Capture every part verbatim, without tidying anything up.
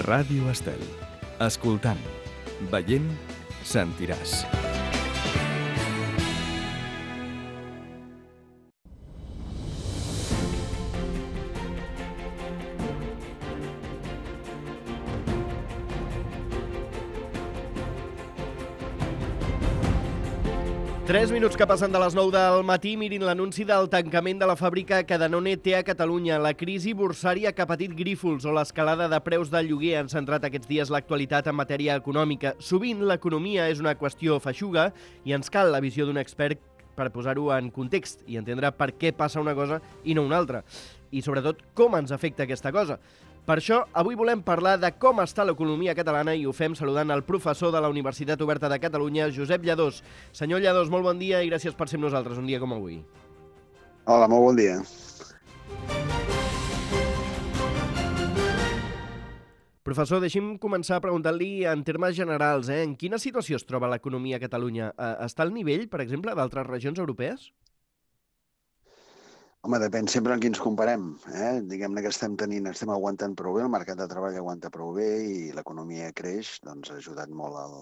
Ràdio Estel. Escoltant, veient, sentiràs. Tres minuts que passen de les nou del matí, mirin l'anunci del tancament de la fàbrica que Danone té a Catalunya. La crisi borsària que ha patit Grífols o l'escalada de preus del lloguer han centrat aquests dies l'actualitat en matèria econòmica. Sovint l'economia és una qüestió feixuga i ens cal la visió d'un expert per posar-ho en context i entendre per què passa una cosa i no una altra. I sobretot com ens afecta aquesta cosa. Per això, avui volem parlar de com està l'economia catalana i ho fem saludant el professor de la Universitat Oberta de Catalunya, Josep Lladós. Senyor Lladós, molt bon dia i gràcies per ser amb nosaltres un dia com avui. Hola, molt bon dia. Professor, deixi'm començar preguntant-li en termes generals, eh? En quina situació es troba l'economia a Catalunya? Està al nivell, per exemple, d'altres regions europees? Home, depèn sempre en qui ens comparem. Eh? Diguem-ne que estem tenint, estem aguantant prou bé, el mercat de treball aguanta prou bé i l'economia creix, doncs ha ajudat molt el,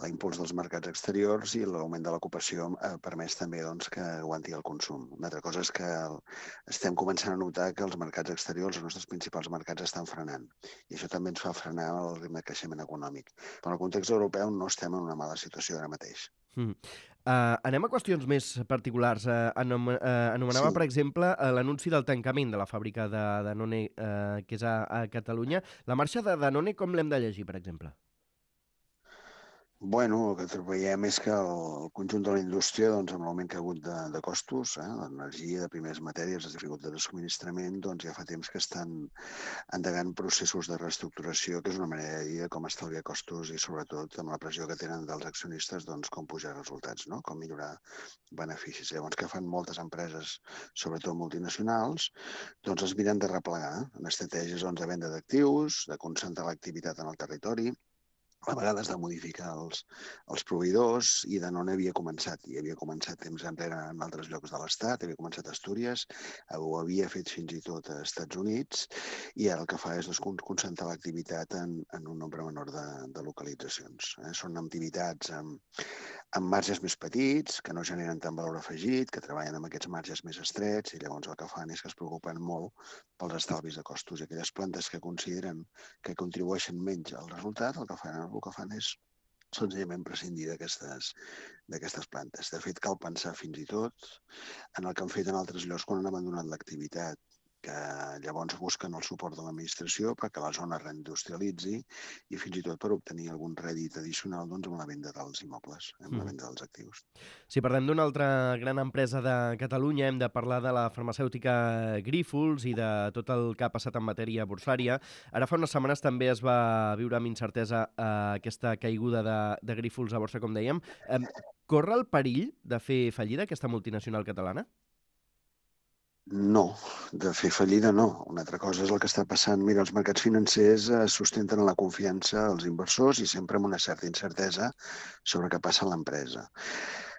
l'impuls dels mercats exteriors i l'augment de l'ocupació ha permès també doncs, que aguanti el consum. Una altra cosa és que el, estem començant a notar que els mercats exteriors, els nostres principals mercats, estan frenant. I això també ens fa frenar el ritme de creixement econòmic. Però en el context europeu no estem en una mala situació ara mateix. Mm. Uh, anem a qüestions més particulars. Uh, anom uh, anomenava, sí. per exemple, uh, l'anunci del tancament de la fàbrica de Danone, uh, que és a, a Catalunya. La marxa de Danone, com l'hem de llegir, per exemple? Bueno, el que veiem és que el conjunt de la indústria, doncs, amb l'augment que ha hagut de, de costos, eh, l'energia, de primeres matèries, les dificultats de subministrament, doncs ja fa temps que estan endegant processos de reestructuració, que és una manera de dir de com estalviar costos i, sobretot, amb la pressió que tenen dels accionistes, doncs, com pujar resultats, no? Com millorar beneficis. Llavors, que fan moltes empreses, sobretot multinacionals, doncs es miren de replegar en estratègies doncs, de venda d'actius, de concentrar l'activitat en el territori, a vegades de modificar els, els proveïdors, i Danone havia començat, i havia començat temps enrere en altres llocs de l'Estat, havia començat a Astúries, ho havia fet fins i tot a Estats Units, i ara el que fa és doncs, concentrar l'activitat en, en un nombre menor de, de localitzacions. Eh? Són activitats amb, amb marges més petits, que no generen tant valor afegit, que treballen amb aquests marges més estrets, i llavors el que fan és que es preocupen molt pels estalvis de costos. I aquelles plantes que consideren que contribueixen menys al resultat, el que fan el que fan és senzillament prescindir d'aquestes d'aquestes plantes. De fet, cal pensar fins i tot en el que han fet en altres llocs quan han abandonat l'activitat, que llavors busquen el suport de l'administració perquè la zona es reindustrialitzi i fins i tot per obtenir algun rèdit addicional doncs, amb la venda dels immobles, amb la venda dels actius. Si parlem d'una altra gran empresa de Catalunya, hem de parlar de la farmacèutica Grífols i de tot el que ha passat en matèria borsària. Ara fa unes setmanes també es va viure amb incertesa eh, aquesta caiguda de, de Grífols a borsa, com dèiem. Eh, corre el perill de fer fallida aquesta multinacional catalana? No, de fer fallida no. Una altra cosa és el que està passant. Mira, els mercats financers es sustenten en la confiança dels inversors i sempre amb una certa incertesa sobre què passa a l'empresa.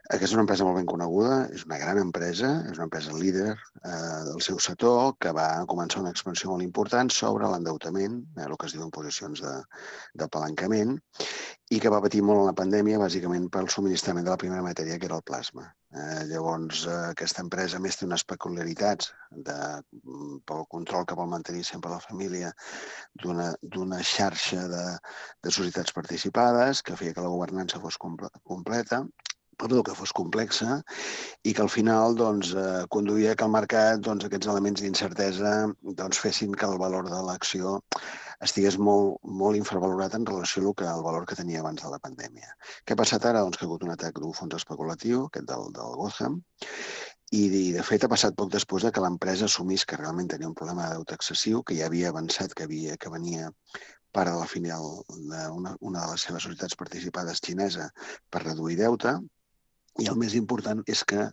Aquesta és una empresa molt ben coneguda, és una gran empresa, és una empresa líder eh, del seu sector, que va començar una expansió molt important sobre l'endeutament, eh, el que es diu en posicions de, de apalancament, i que va patir molt en la pandèmia, bàsicament pel subministrament de la primera matèria, que era el plasma. Eh, llavors, eh, aquesta empresa més té unes peculiaritats de, pel control que vol mantenir sempre la família d'una d'una xarxa de, de societats participades, que feia que la governança fos comple completa, perdó, que fos complexa, i que al final doncs, eh, conduïa que el mercat, doncs, aquests elements d'incertesa doncs, fessin que el valor de l'acció estigués molt, molt infravalorat en relació al, que, al valor que tenia abans de la pandèmia. Què ha passat ara? Doncs que ha hagut un atac d'un fons especulatiu, aquest del, del Gotham, i de fet ha passat poc després que l'empresa assumís que realment tenia un problema de deute excessiu, que ja havia avançat que, havia, que venia part de la filial d'una una de les seves societats participades xinesa per reduir deute. I el més important és que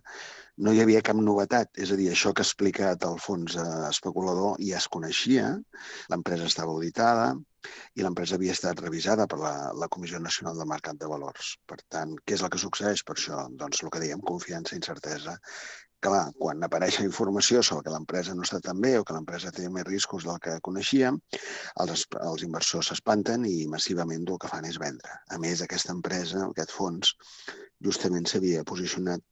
no hi havia cap novetat, és a dir, això que ha explicat el fons especulador ja es coneixia, l'empresa estava auditada, i l'empresa havia estat revisada per la, la Comissió Nacional del Mercat de Valors. Per tant, què és el que succeeix per això? Doncs el que dèiem, confiança, incertesa. Clar, quan apareix la informació sobre que l'empresa no està tan bé o que l'empresa té més riscos del que coneixíem, els, els inversors s'espanten i massivament el que fan és vendre. A més, aquesta empresa, aquest fons, justament s'havia posicionat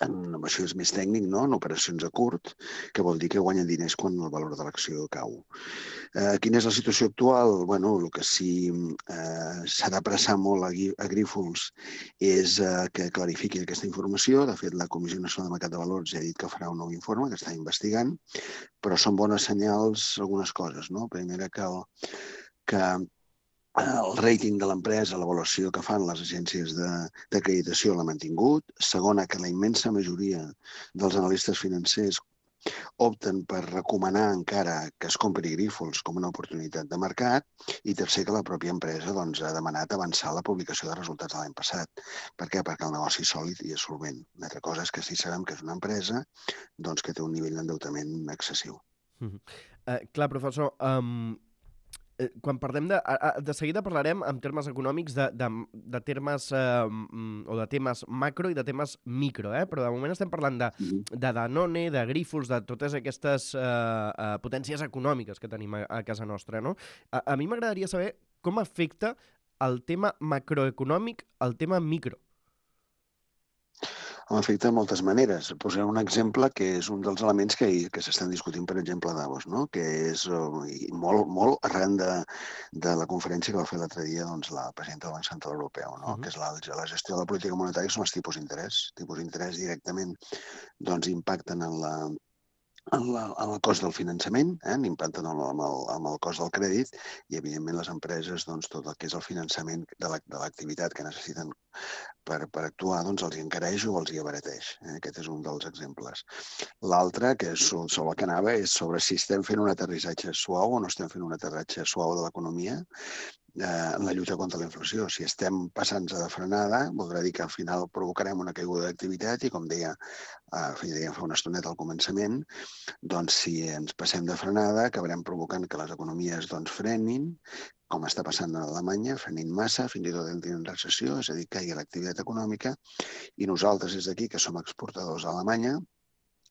en, això és més tècnic, no? En operacions a curt, que vol dir que guanyen diners quan el valor de l'acció cau. Eh, quina és la situació actual? Bueno, el que sí eh, s'ha d'apressar molt a, a Grífols és eh, que clarifiqui aquesta informació. De fet, la Comissió Nacional de Mercat de Valors ja ha dit que farà un nou informe, que està investigant, però són bones senyals algunes coses, no? Primera, que, el, que el rating de l'empresa, l'avaluació que fan les agències d'acreditació l'ha mantingut. Segona, que la immensa majoria dels analistes financers opten per recomanar encara que es compri Grífols com una oportunitat de mercat. I tercer, que la pròpia empresa doncs, ha demanat avançar la publicació de resultats de l'any passat. Per què? Perquè el negoci és sòlid i és solvent. Una altra cosa és que sí sabem que és una empresa doncs, que té un nivell d'endeutament excessiu. Mm -hmm. uh, clar, professor, um... quan parlem de... De seguida parlarem en termes econòmics de, de, de termes eh, o de temes macro i de temes micro, eh? Però de moment estem parlant de, de Danone, de Grífols, de totes aquestes eh, eh, potències econòmiques que tenim a, a casa nostra, no? A, a mi m'agradaria saber com afecta el tema macroeconòmic al tema micro. Afecta de moltes maneres. Posaré un exemple que és un dels elements que, que s'estan discutint, per exemple, a Davos, no? Que és molt, molt arran de, de la conferència que va fer l'altre dia doncs, la presidenta del Banc Central Europeu, no? Uh -huh. Que és la, la gestió de la política monetària, són els tipus d'interès. Tipus d'interès directament doncs, impacten en la en, la, en el cost del finançament, eh? Impacten en el, en el cost del crèdit i, evidentment, les empreses, doncs, tot el que és el finançament de l'activitat la, que necessiten per, per actuar, doncs els hi encareix o els hi abarateix. Eh? Aquest és un dels exemples. L'altre, que és sobre el que anava, és sobre si estem fent un aterrissatge suau o no estem fent un aterratge suau de l'economia en la lluita contra la inflació. Si estem passant-se de frenada, voldrà dir que al final provocarem una caiguda d'activitat i, com deia, eh, deia fa una estoneta al començament, doncs si ens passem de frenada acabarem provocant que les economies doncs, frenin, com està passant a Alemanya, frenin massa, fins i tot entrin en recessió, és a dir, caigui l'activitat econòmica, i nosaltres des d'aquí, que som exportadors a Alemanya,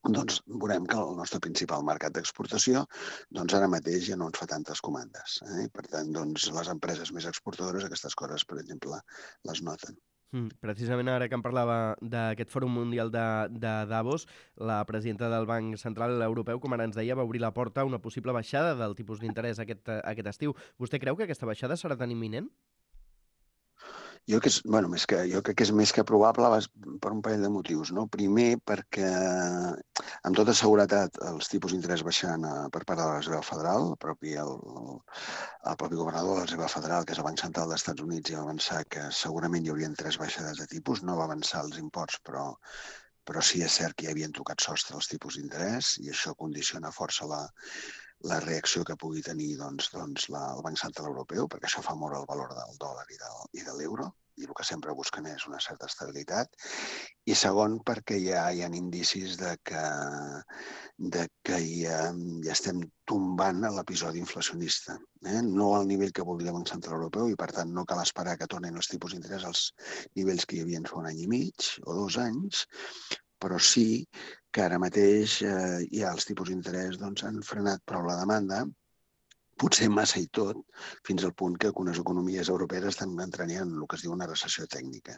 doncs veurem que el nostre principal mercat d'exportació doncs ara mateix ja no ens fa tantes comandes. Eh? Per tant, doncs, les empreses més exportadores aquestes coses, per exemple, les noten. Mm, precisament ara que em parlava d'aquest Fòrum Mundial de, de Davos, la presidenta del Banc Central Europeu, com ara ens deia, va obrir la porta a una possible baixada del tipus d'interès aquest, aquest estiu. Vostè creu que aquesta baixada serà tan imminent? Jo, que és, bueno, més que, jo crec que és més que probable per un parell de motius. No? Primer, perquè amb tota seguretat els tipus d'interès baixant per part de la Reserva Federal, el propi, el, el propi governador de la Reserva Federal, que és el Banc Central dels Estats Units, ja va avançar que segurament hi haurien tres baixades de tipus. No va avançar els imports, però, però sí és cert que hi havien tocat sostre els tipus d'interès i això condiciona força la, la reacció que pugui tenir doncs, doncs la, el Banc Central Europeu, perquè això fa moure el valor del dòlar i, del, i de l'euro, i el que sempre busquen és una certa estabilitat. I segon, perquè ja hi ha indicis de que, de que ja, ja estem tombant a l'episodi inflacionista. Eh? No al nivell que voldria el Banc Central Europeu i, per tant, no cal esperar que tornin els tipus d'interès als nivells que hi havia fa un any i mig o dos anys, però sí que ara mateix eh, ja els tipus d'interès doncs, han frenat prou la demanda, potser massa i tot, fins al punt que algunes economies europees estan entrant en el que es diu una recessió tècnica.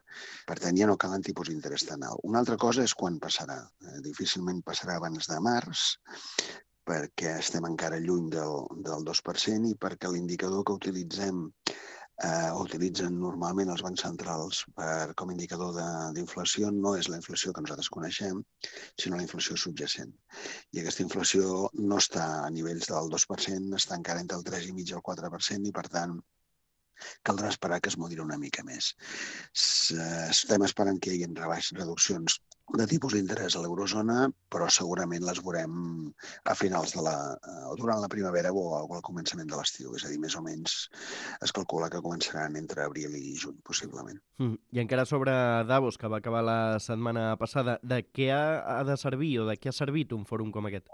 Per tant, ja no calen tipus d'interès tan alt. Una altra cosa és quan passarà. Eh, difícilment passarà abans de març, perquè estem encara lluny del, del dos per cent i perquè l'indicador que utilitzem eh, utilitzen normalment els bancs centrals per, com a indicador d'inflació no és la inflació que nosaltres coneixem, sinó la inflació subjacent. I aquesta inflació no està a nivells del dos per cent, està encara entre el tres coma cinc i el quatre per cent i, per tant, caldrà esperar que es moderi una mica més. Estem esperant que hi hagi rebaixes, reduccions de tipus d'interès a l'eurozona, però segurament les veurem a finals de la, o durant la primavera o al començament de l'estiu. És a dir, més o menys es calcula que començaran entre abril i juny, possiblement. Mm. I encara sobre Davos, que va acabar la setmana passada, de què ha, ha de servir o de què ha servit un fòrum com aquest?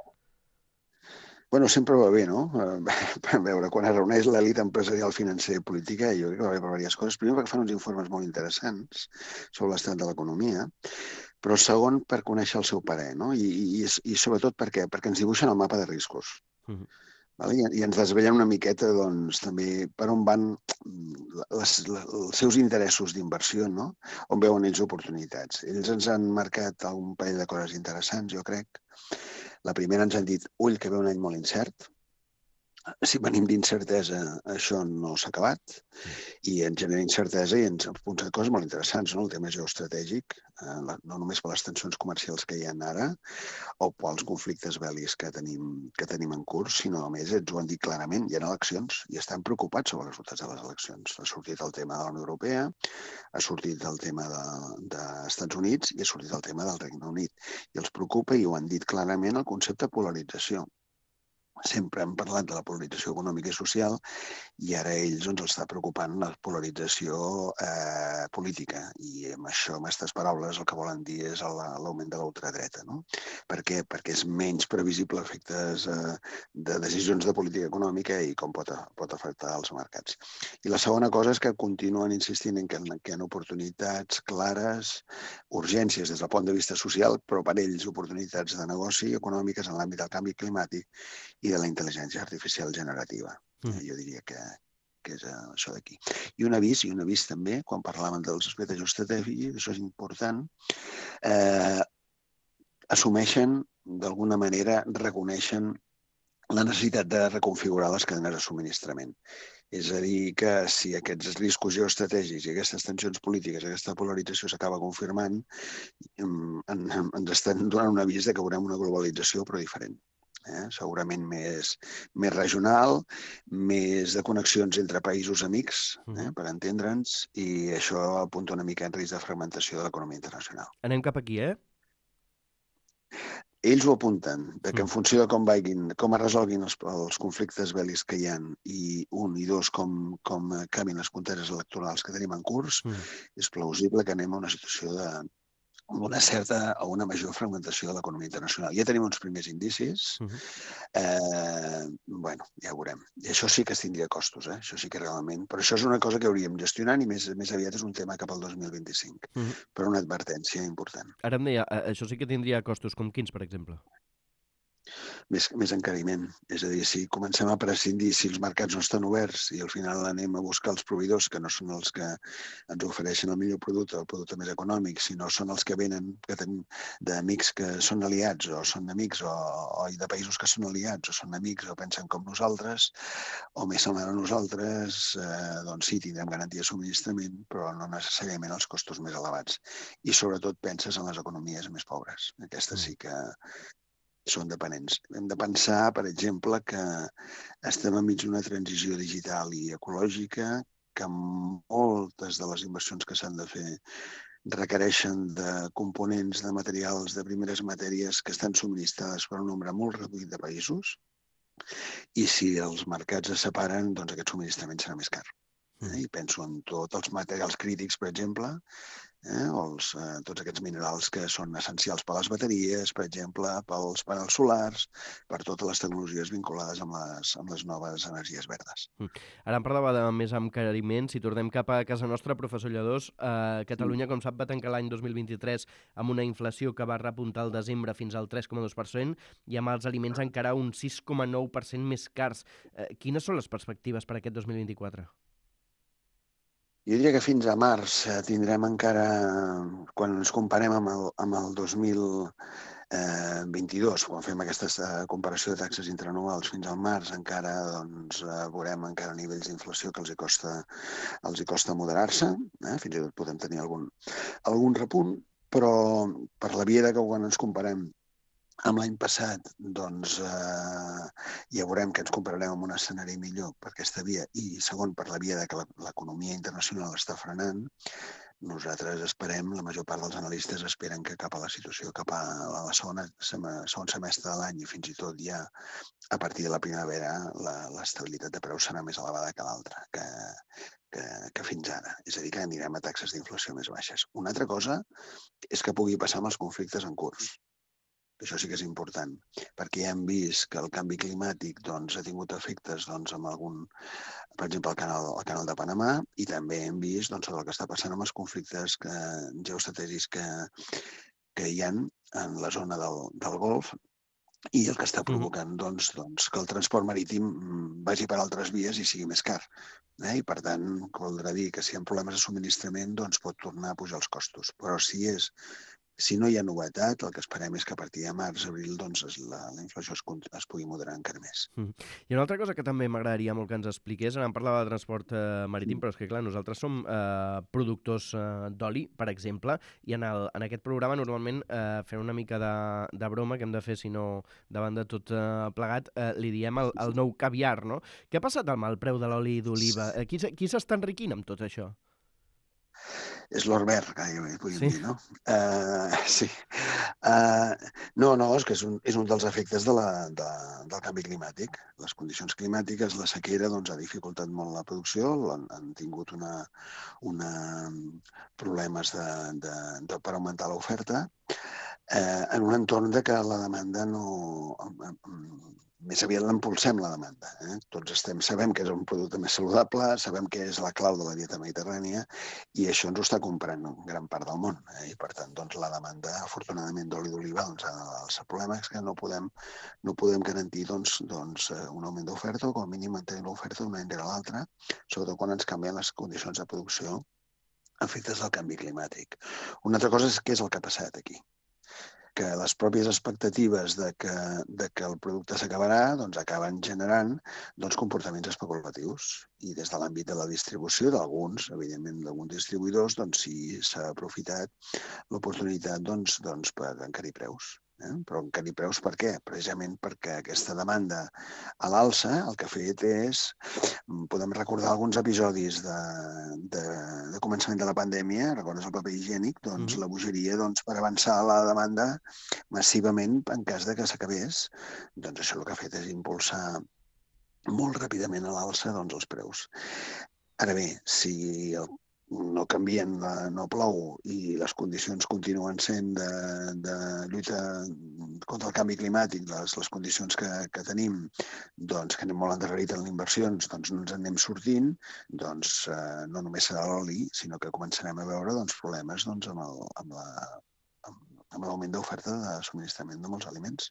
Bueno, sempre va bé, no? A veure, quan es reuneix l'elit empresarial, financera i política, jo crec que va bé per diverses coses. Primer, perquè fan uns informes molt interessants sobre l'estat de l'economia, però segon, per conèixer el seu parer, no? I, i, i sobretot per què? Perquè ens dibuixen el mapa de riscos. Mhm. Vale? I, I ens desvellen una miqueta, doncs, també per on van les, les, els seus interessos d'inversió, no? On veuen ells oportunitats. Ells ens han marcat un parell de coses interessants, jo crec. La primera ens han dit, ull, que ve un any molt incert. Si venim d'incertesa, això no s'ha acabat i ens genera incertesa i ens apunta coses molt interessants, no? El tema geoestratègic, eh, la, no només per les tensions comercials que hi ha ara o pels conflictes bèl·lics que tenim, que tenim en curs, sinó a més ens ho han dit clarament, hi ha eleccions i estan preocupats sobre els resultats de les eleccions. Ha sortit el tema de la Unió Europea, ha sortit el tema de, dels Estats Units i ha sortit el tema del Regne Unit. I els preocupa, i ho han dit clarament, el concepte de polarització. Sempre hem parlat de la polarització econòmica i social i ara a ells ens està preocupant la polarització eh, política i amb això, amb aquestes paraules, el que volen dir és l'augment de la ultradreta. No? Per què? Perquè és menys previsible efectes eh, de decisions de política econòmica i com pot, pot afectar els mercats. I la segona cosa és que continuen insistint en que, en que hi ha oportunitats clares, urgències des del punt de vista social, però per ells oportunitats de negoci econòmiques en l'àmbit del canvi climàtic i de la intel·ligència artificial generativa. Mm. Eh, jo diria que, que és uh, això d'aquí. I un avís, i un avís també, quan parlàvem dels aspectes estratègics, això és important, eh, assumeixen, d'alguna manera, reconeixen la necessitat de reconfigurar les cadenes de subministrament. És a dir, que si aquests riscos geoestratègics i aquestes tensions polítiques, aquesta polarització s'acaba confirmant, ens estan donant un avís de que veurem una globalització però diferent. Eh? Segurament més, més regional, més de connexions entre països amics, eh? per entendre'ns, i això apunta una mica en risc de fragmentació de l'economia internacional. Anem cap aquí, eh? Ells ho apunten, de que en funció de com vagin, com es resolguin els, els conflictes bèl·lics que hi ha, i un, i dos, com, com canvien les conteres electorals que tenim en curs, mm. és plausible que anem a una situació de una certa o una major fragmentació de l'economia internacional. Ja tenim uns primers indicis. Uh-huh. eh, bueno, ja ho veurem. I això sí que es tindria costos, eh? Això sí que realment... Però això és una cosa que hauríem gestionant i més, més aviat és un tema cap al dos mil vint-i-cinc. Uh-huh. Però una advertència important. Ara em deia, això sí que tindria costos, com quins, per exemple? Més, més encariment. És a dir, si comencem a prescindir, si els mercats no estan oberts i al final anem a buscar els proveïdors que no són els que ens ofereixen el millor producte, el producte més econòmic, sinó són els que venen que tenim d'amics que són aliats o són amics o, o de països que són aliats o són amics o pensen com nosaltres o més semblant a nosaltres, eh, doncs sí, tindrem garantia de subministrament, però no necessàriament els costos més elevats. I sobretot penses en les economies més pobres. Aquestes sí que són dependents. Hem de pensar, per exemple, que estem enmig d'una transició digital i ecològica, que moltes de les inversions que s'han de fer requereixen de components de materials de primeres matèries que estan subministrades per un nombre molt reduït de països, i si els mercats es separen, doncs aquest subministrament serà més car. Eh? I penso en tots els materials crítics, per exemple, eh? o els, eh, tots aquests minerals que són essencials per a les bateries, per exemple, pels panels solars, per totes les tecnologies vinculades amb les, amb les noves energies verdes. Ara em parlava de més encariment. Si tornem cap a casa nostra, professor Lladós, eh, Catalunya, com sap, va tancar l'any dos mil vint-i-tres amb una inflació que va repuntar al desembre fins al tres coma dos per cent i amb els aliments encara un sis coma nou per cent més cars. Eh, quines són les perspectives per aquest dos mil vint-i-quatre? Jo diria que fins a març tindrem encara, quan ens comparem amb el, amb el dos mil vint-i-dos, quan fem aquesta comparació de taxes interanuals fins al març, encara doncs, veurem encara nivells d'inflació que els hi costa, els hi costa moderar-se, eh? Fins i tot podem tenir algun, algun repunt, però per la via de que quan ens comparem amb l'any passat, doncs eh, ja veurem que ens compararem amb un escenari millor per aquesta via i, segon, per la via de que l'economia internacional està frenant, nosaltres esperem, la major part dels analistes esperen que cap a la situació, cap a la segona, segon semestre de l'any i fins i tot ja a partir de la primavera l'estabilitat de preus serà més elevada que l'altra, que, que, que fins ara. És a dir, que anirem a taxes d'inflació més baixes. Una altra cosa és que pugui passar amb els conflictes en curs. que això sí que és important, perquè ja hem vist que el canvi climàtic doncs, ha tingut efectes doncs, amb algun, per exemple, el canal, el canal de Panamà, i també hem vist doncs, el que està passant amb els conflictes que, geoestratègics que, que hi ha en la zona del, del Golf, i el que està provocant doncs, doncs, que el transport marítim vagi per altres vies i sigui més car. Eh? I, per tant, voldrà dir que si hi ha problemes de subministrament doncs, pot tornar a pujar els costos. Però si és Si no hi ha novetat, el que esperem és que a partir de març, abril, doncs, la, la inflació es, es pugui moderar encara més. Mm. I una altra cosa que també m'agradaria molt que ens expliqués, ara em parlava de transport eh, marítim, mm. però és que, clar, nosaltres som eh, productors eh, d'oli, per exemple, i en, el, en aquest programa normalment eh, fent una mica de, de broma que hem de fer, si no, davant de tot eh, plegat, eh, li diem el, el nou caviar, no? Què ha passat amb el preu de l'oli d'oliva? Eh, qui qui s'està enriquint amb tot això? És l'or verd, gairebé, podríem sí? dir, no? Uh, sí. Uh, no, no, és que és un, és un dels efectes de la, de, del canvi climàtic. Les condicions climàtiques, la sequera, doncs, ha dificultat molt la producció, han, han tingut una, una problemes de, de, de, per augmentar l'oferta, eh, en un entorn de que la demanda no... Més aviat l'impulsem, la demanda. Eh? Tots estem, sabem que és un producte més saludable, sabem que és la clau de la dieta mediterrània i això ens ho està comprant gran part del món. Eh? I, per tant, doncs, la demanda, afortunadament, d'oli d'oliva, doncs, el problema és que no podem, no podem garantir doncs, doncs, un augment d'oferta o, com a mínim, mantenir l'oferta d'un any rere l'altre, sobretot quan ens canvien les condicions de producció efectes del canvi climàtic. Una altra cosa és què és el que ha passat aquí. Que les pròpies expectatives de que, de que el producte s'acabarà doncs acaben generant doncs, comportaments especulatius. I des de l'àmbit de la distribució d'alguns, evidentment d'alguns distribuïdors, doncs sí s'ha aprofitat l'oportunitat doncs, doncs, per encarir preus. Eh? Però encarir preus per què? Precisament perquè aquesta demanda a l'alça el que ha fet és, podem recordar alguns episodis de, de, de començament de la pandèmia, recordes el paper higiènic, doncs mm-hmm. la bogeria doncs, per avançar la demanda massivament en cas de que s'acabés, doncs això el que ha fet és impulsar molt ràpidament a l'alça doncs, els preus. Ara bé, si el no canvien, no plou i les condicions continuen sent de, de lluita contra el canvi climàtic, les, les condicions que, que tenim, doncs, que anem molt endarrerit en les inversions, doncs no ens en anem sortint, doncs eh, no només serà l'oli, sinó que començarem a veure doncs, problemes doncs, amb el, amb la, amb l'augment d'oferta de subministrament de molts aliments.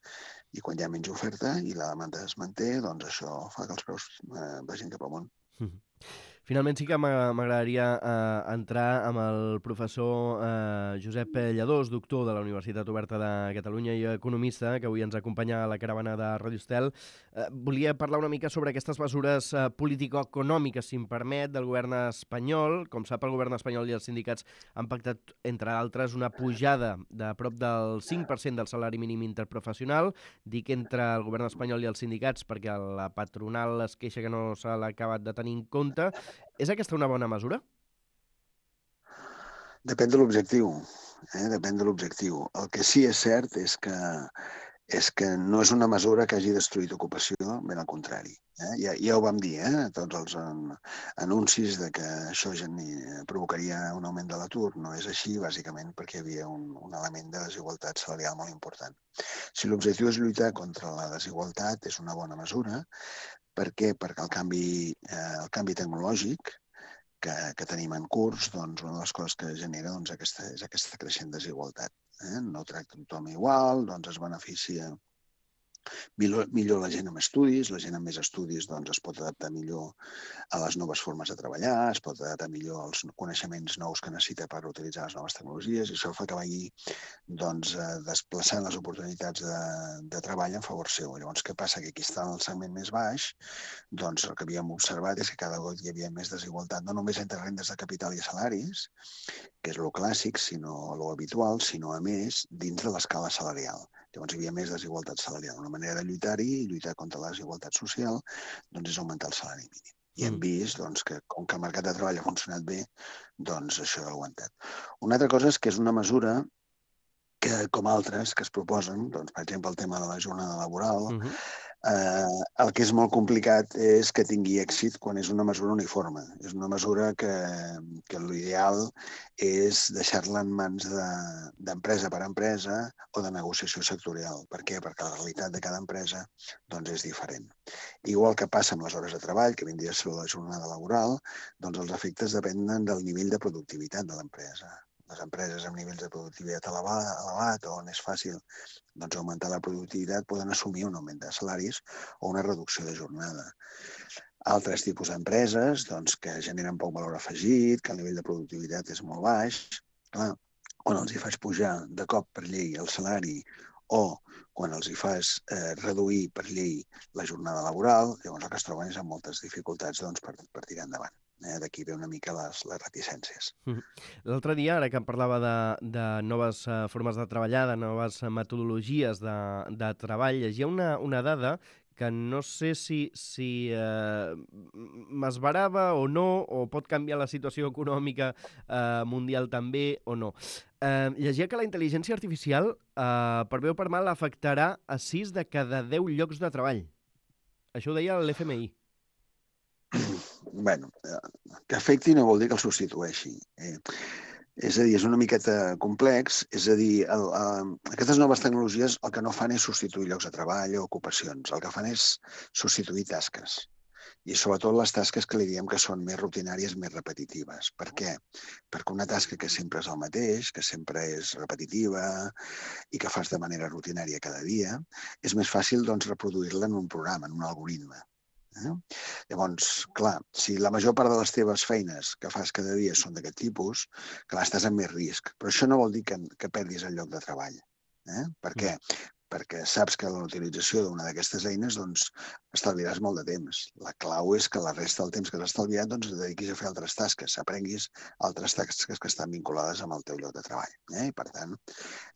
I quan hi ha menys oferta i la demanda es manté, doncs això fa que els preus eh, vagin cap amunt. Mm-hmm. Finalment sí que m'agradaria eh, entrar amb el professor eh, Josep Lladós, doctor de la Universitat Oberta de Catalunya i economista, que avui ens acompanya a la caravana de Radio Estel. Eh, volia parlar una mica sobre aquestes mesures eh, político-econòmiques, si em permet, del govern espanyol. Com sap, el govern espanyol i els sindicats han pactat, entre altres, una pujada de prop del cinc per cent del salari mínim interprofessional. Dic entre el govern espanyol i els sindicats perquè la patronal es queixa que no se l'ha acabat de tenir en compte. És aquesta una bona mesura? Depèn de l'objectiu. Eh? Depèn de l'objectiu. El que sí és cert és que, és que no és una mesura que hagi destruït ocupació, ben al contrari. Eh? Ja, ja ho vam dir, eh? Tots els en, anuncis de que això provocaria un augment de l'atur. No és així, bàsicament, perquè hi havia un, un element de desigualtat salarial molt important. Si l'objectiu és lluitar contra la desigualtat, és una bona mesura. Per què? Perquè el canvi, eh, el canvi tecnològic que, que tenim en curs, doncs una de les coses que genera doncs, aquesta, és aquesta creixent desigualtat. Eh? No tracta tothom igual, doncs es beneficia millor, millor la gent amb estudis, la gent amb més estudis doncs, es pot adaptar millor a les noves formes de treballar, es pot adaptar millor als coneixements nous que necessita per utilitzar les noves tecnologies i això fa que vagi doncs, desplaçant les oportunitats de, de treball en favor seu. Llavors, què passa? Que aquí està en el segment més baix, doncs el que havíem observat és que cada cop hi havia més desigualtat, no només entre rendes de capital i salaris, que és lo clàssic, sinó lo habitual, sinó a més dins de l'escala salarial. Llavors hi havia més desigualtat salarial. Una manera de lluitar-hi i lluitar contra la desigualtat social doncs, és augmentar el salari mínim. I hem vist doncs, que com que el mercat de treball ha funcionat bé, doncs això ha aguantat. Una altra cosa és que és una mesura que, com altres que es proposen, doncs, per exemple, el tema de la jornada laboral, uh-huh. Eh, el que és molt complicat és que tingui èxit quan és una mesura uniforme. És una mesura que, que l'ideal és deixar-la en mans d'empresa per empresa o de negociació sectorial. Per què? Perquè la realitat de cada empresa doncs, és diferent. Igual que passa amb les hores de treball, que vindria a ser la jornada laboral, doncs els efectes depenen del nivell de productivitat de l'empresa. Les empreses amb nivells de productivitat elevat, on és fàcil doncs, augmentar la productivitat, poden assumir un augment de salaris o una reducció de jornada. Altres tipus d'empreses doncs, que generen poc valor afegit, que el nivell de productivitat és molt baix, clar, quan els hi fas pujar de cop per llei el salari o quan els hi fas eh, reduir per llei la jornada laboral, llavors el que es troben és amb moltes dificultats doncs, per, per tirar endavant. Eh, D'aquí ve una mica les, les reticències. L'altre dia, ara que em parlava de, de noves uh, formes de treballar, de noves metodologies de, de treball, llegia una, una dada que no sé si, si eh, m'esbarava o no, o pot canviar la situació econòmica eh, mundial també o no. Eh, llegia que la intel·ligència artificial, eh, per bé o per mal, afectarà a sis de cada deu llocs de treball. Això ho deia l'F M I. Bueno, que afecti no vol dir que el substitueixi. Eh, és a dir, és una miqueta complex, és a dir, el, el, aquestes noves tecnologies el que no fan és substituir llocs de treball o ocupacions, el que fan és substituir tasques. I sobretot les tasques que li diem que són més rutinàries, més repetitives. Per què? Perquè una tasca que sempre és el mateix, que sempre és repetitiva i que fas de manera rutinària cada dia, és més fàcil doncs, reproduir-la en un programa, en un algoritme. Eh? Llavors, clar, si la major part de les teves feines que fas cada dia són d'aquest tipus, clar, estàs en més risc. Però això no vol dir que, que perdis el lloc de treball. Eh? Per què? Perquè saps que la utilització d'una d'aquestes eines doncs, estalviaràs molt de temps. La clau és que la resta del temps que has estalviat doncs, et dediquis a fer altres tasques, aprenguis altres tasques que estan vinculades amb el teu lloc de treball. Eh? I, per tant,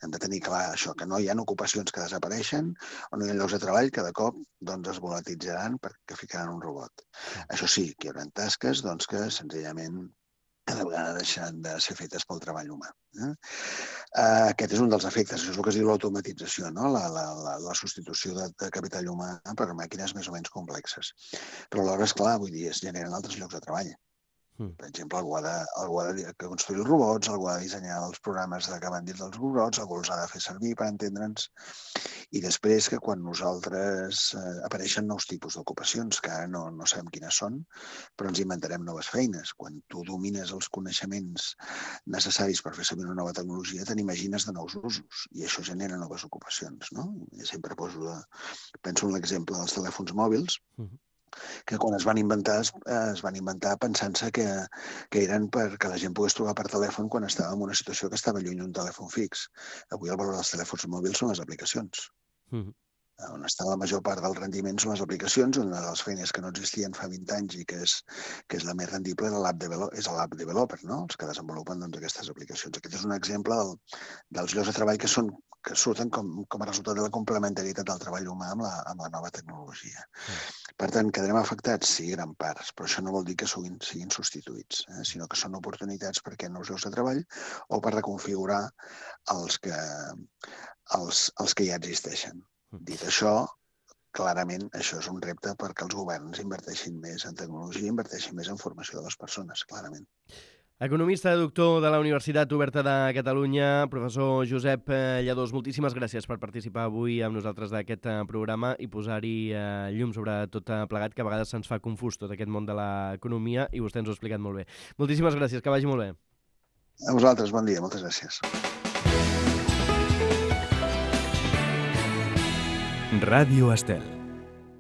hem de tenir clar això, que no hi ha ocupacions que desapareixen o no hi ha llocs de treball que de cop doncs, es volatilitzaran perquè ficaran un robot. Això sí, que hi haurà tasques doncs, que senzillament cada vegada deixen de ser fetes pel treball humà. Eh? Aquest és un dels efectes, això és el que es diu l'automatització, no? la, la, la, la substitució de, de capital humà per màquines més o menys complexes. Però alhora, esclar, vull dir, es generen altres llocs de treball. Per exemple, algú ha de, algú ha de construir els robots, algú ha de dissenyar els programes que van dins dels robots, algú els ha de fer servir per entendre'ns. I després que quan nosaltres eh, apareixen nous tipus d'ocupacions, que ara no, no sabem quines són, però ens inventarem noves feines. Quan tu domines els coneixements necessaris per fer servir una nova tecnologia, te n'imagines de nous usos i això genera noves ocupacions. No? Jo sempre poso de, penso en l'exemple dels telèfons mòbils, uh-huh. que quan es van inventar, es van inventar pensant-se que, que eren perquè la gent pogués trucar per telèfon quan estava en una situació que estava lluny d'un telèfon fix. Avui el valor dels telèfons mòbils són les aplicacions. Mm-hmm. On està la major part del rendiment són les aplicacions, una de les feines que no existien fa vint anys i que és, que és la més rendible és l'app developer, és l'app developer, no? Els que desenvolupen doncs, aquestes aplicacions. Aquest és un exemple del, dels llocs de treball que, són, que surten com, com a resultat de la complementarietat del treball humà amb la, amb la nova tecnologia. Mm. Per tant, quedarem afectats, sí, gran parts, però això no vol dir que siguin, siguin substituïts, eh? Sinó que són oportunitats perquè nous llocs de treball o per reconfigurar els que, els, els que ja existeixen. Dit això, clarament això és un repte perquè els governs inverteixin més en tecnologia, inverteixin més en formació de les persones, clarament. Economista, doctor de la Universitat Oberta de Catalunya, professor Josep Lladós, moltíssimes gràcies per participar avui amb nosaltres d'aquest programa i posar-hi llum sobre tot plegat, que a vegades se'ns fa confús tot aquest món de l'economia i vostè ens ho ha explicat molt bé. Moltíssimes gràcies, que vagi molt bé. A vosaltres, bon dia, moltes gràcies. Ràdio Estel.